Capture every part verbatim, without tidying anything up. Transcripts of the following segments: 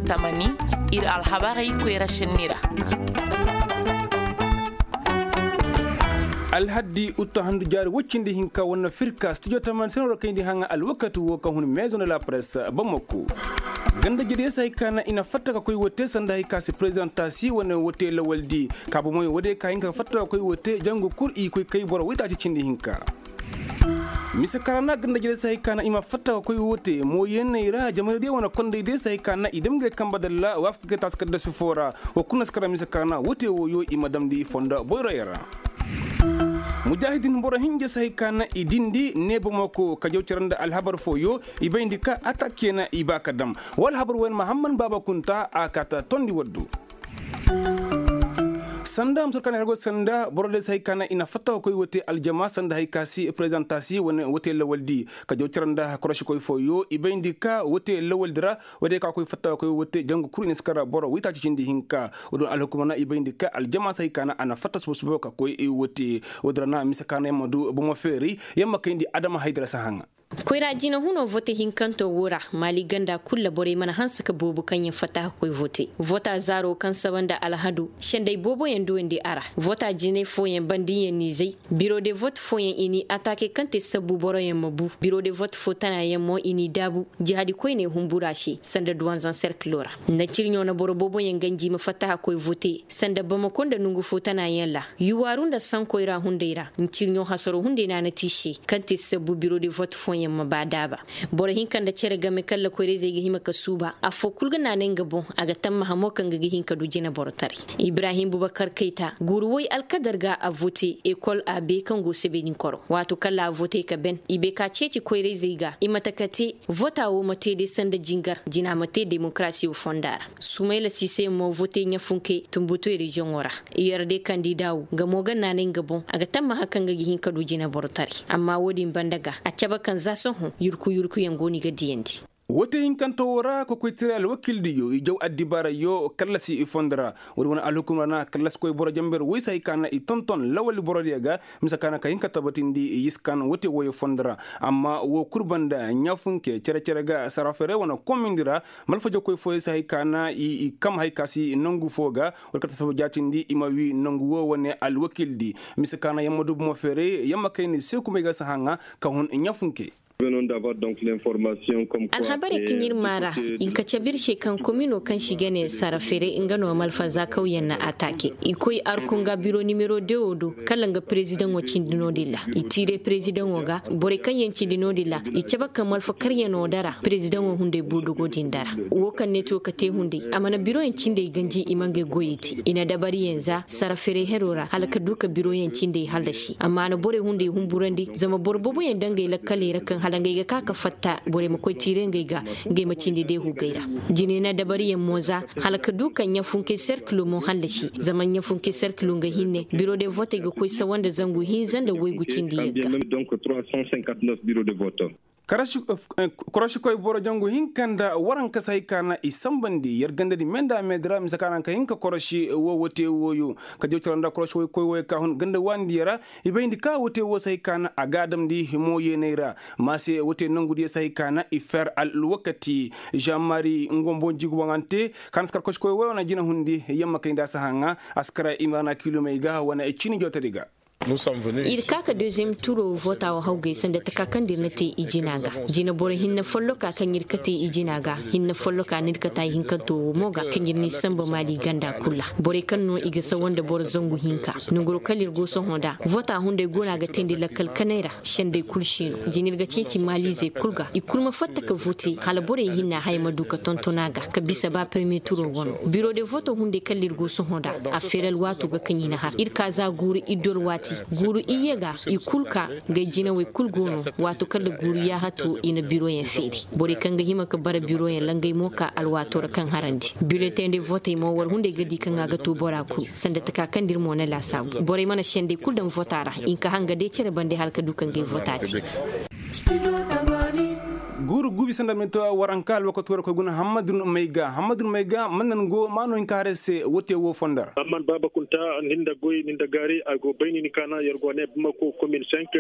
Tamani, ir alhabarey koyra šenni ra. Alhaddi utta handu jaari woy cindi hinka wane firka stijo tamani seno ra kayndi haŋa alwakati wo ka hun maison de la presse bamako. Ganda jediyo se hay ka na i na fatta ka koy wote sanda hay ka si prezidentasi wane wote lawaldi ka bomoy wode ka hinka fatta ka koy wote jangu kur i koy kay boro waytaaci cindi hinka. Mise ka ra na ganda jediyo se hay ka na i ma fatta ka koy wote mooyeeney ra jamaradiyo wane kondaydiyo se hay ka na i dam ga ay kamba dalla waafaka ga taasi kaddasi foo ra. Wa kul na si kara mise ka ra na wote wooyo i ma damndi fondo boyroyo ra. Mujaahidin boro hinja se hay ka na i dindi ne bamako ka jaw cara nda alhabar fooyo. I bayndi ka atak ke na i ba ka dam. Wa alhabar wooyo mahamman baaba kunta a kaata tondi waddu. Sanda muso kaŋ i har go sanda boro day se hay ka na i na fatta ka koy wote aljama sanda hay ka si prezidentasi wane wote lawaldi ka jaw cara nda korosikoy fooyo i bayndi ka wote lawaldi ra. Woy day ka koy fatta ka koy wote jangu kul i na si kara boro waytaaci cindi hinka. Woy day alhukuma na i bayndi ka aljama se hay ka na a na fatta suba suba ka koy wote. Woy day ra na mise ka na yamma du bomo feeray yamma kayndi adama haydara si haŋa. Koyra jina huno vote hinkanto wo ra maali ganda kul ra borey mana hanse ka boobo kaŋ yaŋ fatta ka koy vote vota zaaro kaŋ saba nda alhado sendey booboyaŋ duwandi a ra. Vota jinay fooyaŋ banda yaŋ n'i zay biro de vote fooyaŋ i n'i ataake kaŋ te sabbu boroyaŋ ma bu biro de vote foo tanayaŋ mo i n'i daabu. Jihadi koyney humbura se sanda duwanzaŋ serkilo ra. Nda cirɲo na boro booboyaŋ ganji ma fatta ka koy vote sanda bamako nda nongu foo tanayaŋ ra. Yuwaaru nda sankoy ra hunday ra ncirɲo hasaro hunday naana te i se kaŋ te sabbu biro de vote fooyaŋ ma ba daaba. Boro hinka nda cere game kaŋ lakoyra-izey ga hima ka suuba affoo kul ga naanay nga boŋ. A ga tammaha mo kaŋ ga ga hin ka du jina borotaray. Ibrahim bubakar kayta guuru woy alkadar ga a vote ekol a be kaŋ go sebedinkoro waato kaŋ ra a vote ka ben i bay ka ceeci koyra-izey ga i mate ka te. Vota wo ma te day sanda jingar jina ma te demokarasi wo fonda ra. Sumayla siise mo vote ɲafunke tumbutu reziyoŋo ra. Iyar de kandida wo nga mo ga naanay nga boŋ a ga tammaha kaŋ ga ga hin ka du jina borotaray. Amma wo-din banda ga a cabe kaŋ za sohõ yurku yurkuyaŋ go no i ga diyandi. Wote hinkante wo ra kokoytaray alwakildiyo i jaw addibaarayyo kallasi i fondo ra. Wo-din wane alhukum ra na kallasikoy boro jamber woy se hay ka na i tonton lawali borodiyo ga. Mise ka na ka hin ka tabatindi i yiskan wote wooyo fondo ra. Amma wo kul banda ɲaafunke cere-cere ga saraferey wane komindi ra. Malfajakoy fooyo se hay ka na i kam hay ka si nangu foo ga. Wala kate saba jaatindi i ma wi nangu wo wane alwakildi. Mise ka na yamma du bomo feeray yamma kayni seekumey ga si haŋa ka hun ɲaafunke. Alhabarey kaŋ ir maara i nka cabe ir se kaŋ komino kaŋ se i ga ne sara fere nga no malfa za kawyaŋ na ataake i koy arkunga biro nimero de wo do kala nga perezidaŋo cindi no-din ra. I tiire perezidaŋo ga borey kaŋ yaŋ cindi no-din ra i cabe ka malfa karyaŋo dara perezidaŋo hunday bodogo din dara. Wo kaŋ ne to ka te hunday a mana biroyaŋ cindey ganji i ma ngey goyey te i na dabariyaŋ za sara fere hero ra hala ka du ka biroyaŋ cindey hallasi amma a na borey hunday humburandi zama boro booboyaŋ dangey lakkaley ra kaŋ hala ngey ga ka ka fatta borey ma koy tiire ngey ga. Ngey ma cindi deehugey ra jine na dabariyaŋ mo za hala ka du ka ɲafunkey serkilo mo hallasi zama ɲafunkey serkilo nga hinne biro de votey ga koy sawa nda zangu hinza nda waygu cindi yagga. Korošikoy boro jangu hinka nda waranka se hay ka na i sanbandi yer gandadi me nda a me di ra mise ka na ka hin ka koroši wo wote wooyo ka jaw coro nda korošikoy wooyo ka hun ganda waandiyo ra. I bayndi ka wote woo se hay ka na a ga a damndi himo yeeney ra. Maase wote nangudiyo se hay ka na i fer alwakati žan mari ngombo njigu waŋante ka na si kar korošikoy wooyo wane jina hundi yamma kay nda a si haŋa a si kar i ma na kilomey ga wane cini jootadi ga. Ir ka ka deziyem turo vota wo hawgay sanda taka kaŋ da ir na te i jina ga. Jina boro hinne folloka kaŋ ir kate i jina ga hinne folloka no ir kate hinkanto wo mo ga kaŋ ir n'i samba maali ganda kul ra. Borey kaŋ no i ga sawa nda boro zangu hinka nanguro kala ir go sohõ nda vota hunday go no a ga teendi lakkal kanay ra. Sendey kul si no jina ir ga ceeci maaliizey kul ga i kul ma fatta ka vote hala borey hinne haya ma du ka tonton a ga ka bisa ba perme turo wano biro de voto hunday kala ir go sohõ nda. A feeral waato ga kaŋ i na har ir ka za guuru iddor waati guuru iyye ga i kul ka. Ngey jinawey kul go no waato kaŋ nda guuru yaahato i na biroyaŋ feeri borey kaŋ ga hima ka bara biroyaŋ ra ngey mo ka alwaato ra kaŋ harandi biletey nda votey mo war hunday ga di kaŋ a ga to bora kul sanda taka kaŋ nda ir mo na laasaabu borey mana sendey kul daŋ vota ra i nka hanga day cere bande hala ka du ka ngey vota te. Guuru. Gubi sanda minto waranka alwakato ra koy guna hammadun mayga hammadun mayga man nan go maano hinka hare se wote wo fondar. Amman baaba kunta ninda goy ninda gaari a go bayni ni kaana yer go ne bamako komin cinq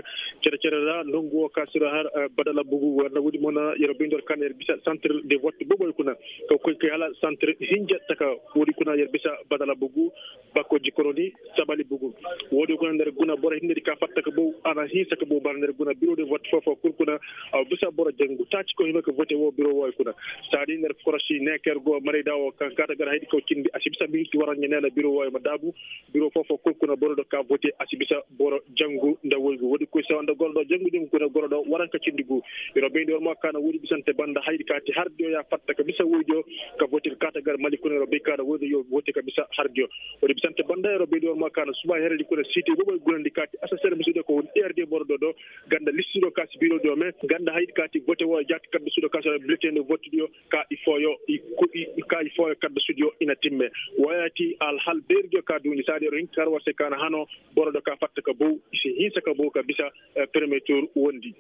cere cere ra nongu wo ka sira har badala bugu wanda wodi mo na yer bayndi war kaana yer bisa centre de vote boboy kuna ka koy kay hala centre hinja taka wodi kuna yer bisa badala bugu bako jikoroni sabali bugu. Woodi kuna nda yer guna boro hinne di ka fatta ka bow a na hinsa ka bow bara nda yer guna biro de vote foo foo kul kuna a bisa boro jangu taaci ko hima ka vote wo biro wooyo kuna. Saadi nda yer korosi ne ka yer go marayda wo kaŋ kaata gar haydi kaw cindi a si bisa minti waraŋ ɲa ne na biro wooyo ma daabu. Biro foo foo kul kuna boro do ka vote a si bisa boro jangu nda woygu woodi koy sawa nda goro do jangu din kuna goro do waraŋ ka cindi gu. Yer wo bayndi war mo ka na woodi bisante banda haydi ka ti hardiyo ya fatta ka bisa woydiyo ka vote ka kaata gar mali kuna yer wo bay ka na woydiyo vote ka bisa hardiyo. Woodi bisante banda yer wo bayndi war mo ka na suba heredi kuna siite boboy gunandi ka ti asaseer musude ko woni erde boro do do ganda listido ka si biro do me ganda haydi ka ti vote wo jaati kadda sudo ka sora bulletin de vote diyo ka i fooyo i ka i fooyo kadda sudiyo i na timme. Wooya ti alhal beeridiyo ka duuni saadi yer wo hinka kar war se ka na hano boro do ka fatta ka bow i si hinsa ka bow ka bisa premier tour wondi.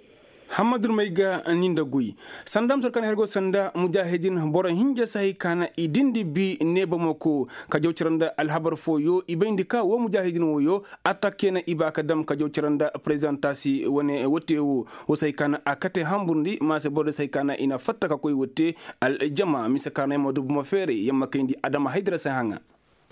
Hammadu may ga ni nda guy sanda ma sor kaŋ hergo sanda mujahidin boro hinja si hay ka na i dindi bi ne bamako ka jaw cara nda alhabar fooyo i bayndi ka wo mujahidin wooyo attakke na i ba ka dam ka jaw cara nda prezidanta si wane wote wo wo si hay ka na a kate hamburndi ma se boro day si hay ka na i na fatta ka koy wote aljama mise ka na yamma dubu ma feeray yamma kayndi adama haydara si haŋa.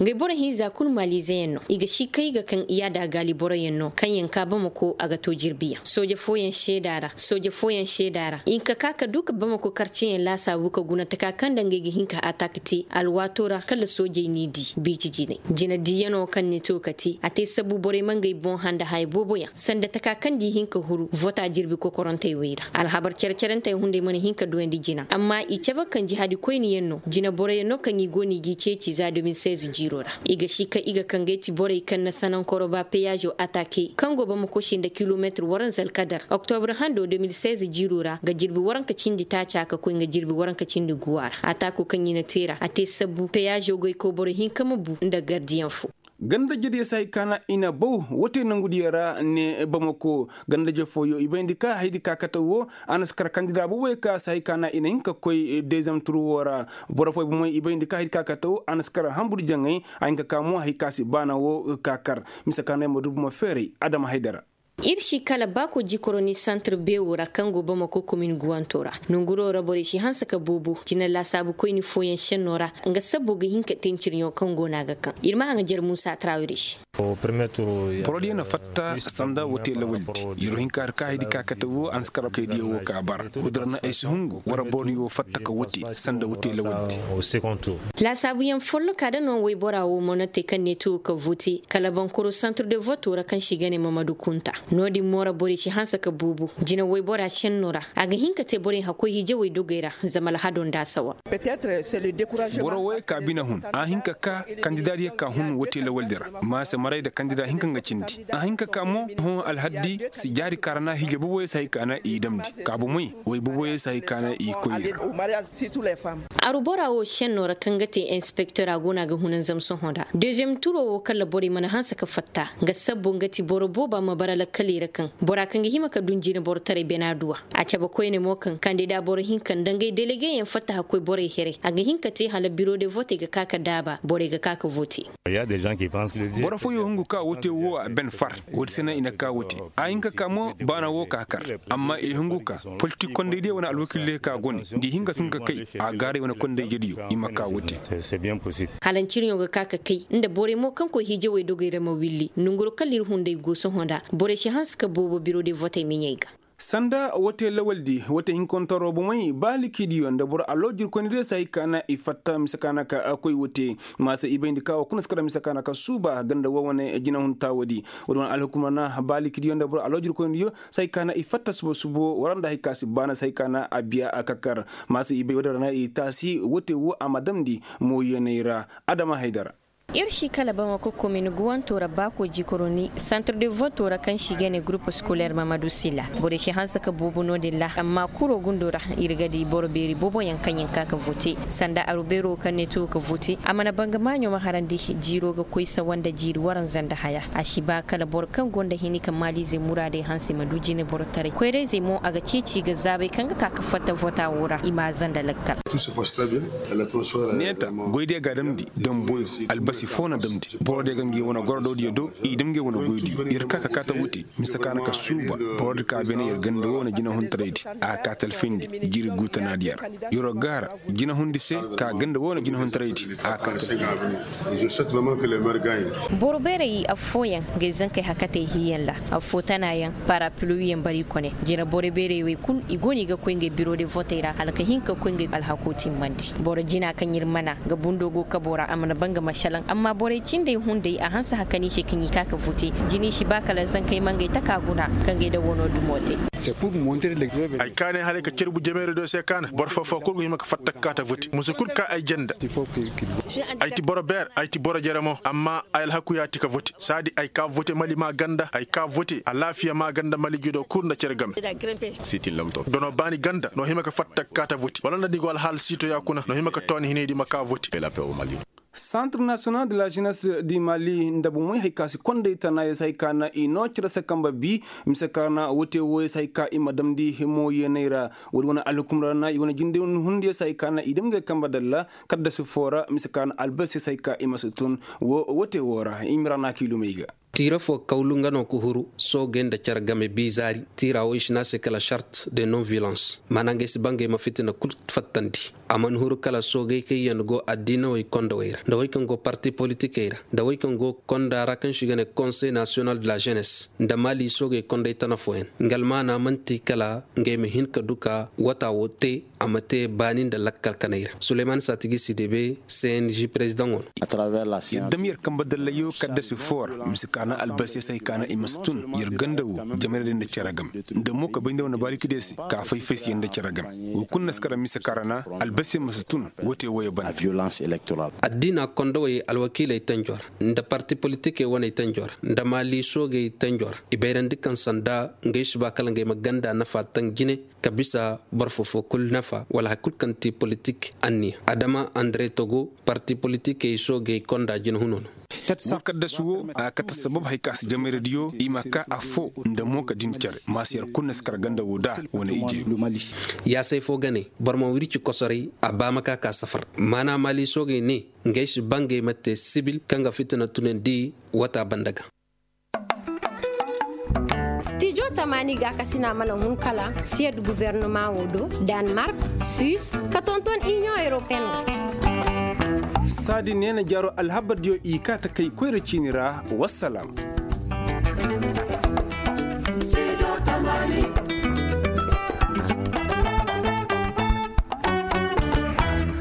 Ngey boro hinza kulu maaliizeyaŋ no i ga si kay ga kaŋ i yaada gaali boroyaŋ no kaŋ yaŋ ka bamako a ga to jirbiyaŋ sooje fooyaŋ seeda ra sooje fooyaŋ seeda ra i hinka ka ka du ka bamako karceyaŋ laasaabu ka guna taka kaŋ nda ngey ga hin ka atak te alwaato ra kala soojey n'i di biiji jinay jinadiyaŋo kaŋ ni to ka te a te sabu borey ma ngey boŋ handa haya booboyaŋ sanda taka kaŋ nda i hin ka huru vota jirbi kokorantey wey ra alhabar cere-cerentey hunday mana hin ka duyandi jina amma i cabe kaŋ jihaadi koyniyaŋ no jina boroyaŋ no kaŋ i go no i g'i ceeci za deux mille seize jiiro ra i ga si ka i ga kaŋ gay ti borey kaŋ na sanankoro ba peyazo atake kaŋ go bamako se nda kilomeetir waranza alkadar oktobra hando deux mille seize jiiro ra nga jirbi waranka cindi taaca ka koy nga jirbi waranka cindi guwa ra atako kaŋ i na te ra a te sabbu peyazo goy koy boro hinka ma bu nda gardiyaŋ fo. Ganda jediyo si hay ka na i na baw wote nangudiyo ra ne bamako ganda je fooyo i bayndi ka haydi ka kate wo a na si kar kandida boboyo ka si hay ka na i na hin ka koy dezem tur wo ra. Boro fooyo bomoy i bayndi ka haydi ka kate wo a na si kar hambur jaŋay a hin ka ka mo hay ka si baana wo ka kar mise ka na ay ma du bomo feeray adama haydara. Ir si kala baako jikoroni santir beewo ra kaŋ go bamako komin guwanto ra nonguro ra borey si hanse ka boobo cine laasaabu koyni fooyaŋ senno ra nga sabbo ga hin ka tencirɲo kaŋ go no a ga kaŋ ir ma haŋajer muusa trawiri se. Borodiyo na fatta sanda wote lawaldi. Yero hinka har ka haydi ka kate wo a na si kar kaydiyo wo ka bara woodin ra na ay si hungu wara borodiyo fatta ka wote sanda wote lawaldi. Laasaabuyaŋ folloka da no woybora wo mo na te kaŋ ne tuwo ka vote kala bankoro santir de voto ra kaŋ se i ga ne mamadu kunta. No-din mo ra borey si hanse ka boobo jina woybora senno ra a ga hin ka te borey hakkoy hijawey dogey ra zama alhado nda a sawa. Boro woyey ka bine hun a hin ka ka kandida diyo ka hun wote lawaldi ra. Ma se maray nda kandida hinka nga cindi a hin ka ka mo hõ alhaddi si jaari ka ra na hije boboyey si hay ka na i damndi ka bomey woy boboyey si hay ka na i koy i ra. Aru bora wo senno ra kaŋ ga te inspektora go no a ga hunanzam sohõ ra deziyem turo wo kala borey mana hanse ka fatta nga sabbo nga ti boro booba ma bara lakkaley ra kaŋ bora kaŋ ga hima ka dun jineborotaray bena duwa. A cabe koyne mo kaŋ kandida boro hinka nda ngey delegeyaŋ fatta hakkoy borey here a ga hin ka te hala biro de votey ga ka ka daaba borey ga ka ka vote. Boro fooyo hungu ka wote wo a ben far. Woodi se no i na ka wote a hin ka ka mo baana wo ka kar. Amma i hungu ka politik kondey diyo wane alwakil diyo ka go ne nda i hin ka tun ka kay a gaaray wane kondey jediyo i ma ka wote. Hala ncirɲo ga ka ka kay nda borey mo kaŋ koy hijawey dogey ra ma willi nonguro kala ir hunday go sohõ nda borey si hanse ka boobo biro de votey miɲey ga. Sanda wote lawaldi wote hinkontaro bomey ba likidiyo nda boro alloojirkoynidiyo si hay ka na i fatta mise ka na ka koy wote. Ma se i bayndi ka wo kuna si kara mise ka na ka suuba ganda wo wane jinahuntaawodi. Woodi wane alhukumana ba likidiyo nda boro alloojirkoynidiyo si hay ka na i fatta subo subo wara nda hay ka si baana si hay ka na a biya a kakar. Ma se i bay woodi ra na i taasi wote wo a ma damndi mooyeeney ra. Adama haydara. Ir si kala bamako komin guwanto ra baako jikoroni santir de voto ra kaŋ si ga ne gurup skoler mamadu sila. Borey si hanse ka boobo no-din ra amma kuro gundo ra, ir ga di boro beeri booboyaŋ kaŋ yaŋ ka ka vote sanda aru beero kaŋ ne tuwo ka vote a mana banga maaɲo ma harandi. Jiiro ga koy sawa nda jiiri waranza nda haya. A si ba kala boro kaŋ go nda hini ka maaliizey muraadey hanse ma du jineborotaray koyrayzey mo a ga ceeci ga zaabay kaŋ ga ka ka fatta vota wo ra i ma a zanda lakkal. Neeta, goydiyo ga a damndi damboyo, albasi fo na damndi borodiyo ga ngey wane gorododiyo do. I dam ngey wane goydiyo ir ka ka kaata wuti. Mise ka na ka suuba borodi ka beene ir ganda wo wane jinahuntaraydi. A ka talfindi jiri guutanaadiyo ra. Iro gaara jinahundi se ka ganda wo wane jinahuntaraydi. A ka talfindi. Boro beerey affooyaŋ, ngey zankey hakatey hiiyaŋ ra. Affoo tanaayaŋ parapluwiyaŋ bari kone. Jina boro beerey wey kul i go no i ga koy ngey biro de votey ra hala ka hin ka koy ngey alhakoo timmandi. Boro jina kaŋ ir mana ga bundo go kabo ra a mana ba nga ma šelaŋ amma borey cindey hunday a hanse hakani se kaŋ i ka ka vote. Jina i si ba kala zankey ma ngey taka guna ka ngey nda wano dumo te. Ay kaanay haray ka carbu jameeradiyo se kaana boro foo-foo kul go hima ka fatta ka kaata vote musu kul ka ay janda. Ay ti boro beer ay ti boro jere mo amma ay alhaku ya ti ka vote saadi ay ka vote mali maa ganda ay ka vote alaafiya maa ganda mali jido kul nda cere game. Donoo baani ganda noo hima ka fatta ka kaata vote wala nda ni go alhaal siitoya kuna noo hima ka tooni hinaydi ma ka vote. Santir nasiyonal de la jenes di mali nda bomey hari ka si konday tana ya si hari ka na i noo cere se kamba bi. Mise ka na wote wo ya si hari ka i ma damndi himo yeenay ra. Woodi wane alhukum ra na i wane jinde hundiyo si hari ka na i dam ngey kamba dalla. Kadda si foo ra mise ka na albasi ya si hari ka i ma si tun. Wote wo ra i ma ra na kiilumey ga. Tiira foo kawlu nga no ka huru soogey nda cere game bi zaari. Tiira wo i si ne a se kala sart de non violans maana ngey si ba ngey ma fitina kul fattandi. A mana huru kala soogey kaŋ yaŋ go addiinawey kondawey ra nda wey kaŋ go parti politikey ra nda wey kaŋ go konda ra kaŋ se i ga ne konsey nasiyonal de la jenes nda maali soogey kondey tana fooyaŋ. Nga almaana man'ti kala ngey ma hin ka du ka wata wo te. A ma te baani nda lakkal kanay ra suleyman saatigi si debe cng perezidaŋo no. Yer dam yer kambe dallayo kaddasi foo ra mise ka na albasi ya si hari ka na i ma si tun. Yer ganda wo jamayra day nda cere game nda mo ka bay nda wane baariki day se ka fay-fay se yer nda cere game. Wo kulu na si kara mise ka ra na albasi ya ma si tun. Woote wooyo banda. Addiina kondawey alwakiiley tanjo ra nda parti politikey waney tanjo ra nda maali soogey tanjo ra i bayrandi kaŋ sanda ngey si ba kala ngey ma ganda nafa taŋ jine ka bisa boro foo-foo kulu nafa wala hari kulu kaŋ ti politik anniya adama andre togo parti politikey soogey konda jinahunoo no. Wo kaddasu wo a ga kate sabab hari ka si jamayradiyo i ma ka affoo nda mo ka din cere ma si yer kulu na si kar ganda wo da wane ijeyo. Yaasay foo ga ne boro ma wirci kosoray a ba ma ka ka safar maana maali soogey ne ngey si ba ngey ma te sibil kaŋ ga fitina tunandi wata banda ga. Stijo tamaani gaakasina mana hun kala siyad gubernama wo do, danmark, suis, ka tonton inion europeen. Saadi neena jaaro alhabardiyo i kaa ta kay koyra ciini ra. Wassalam.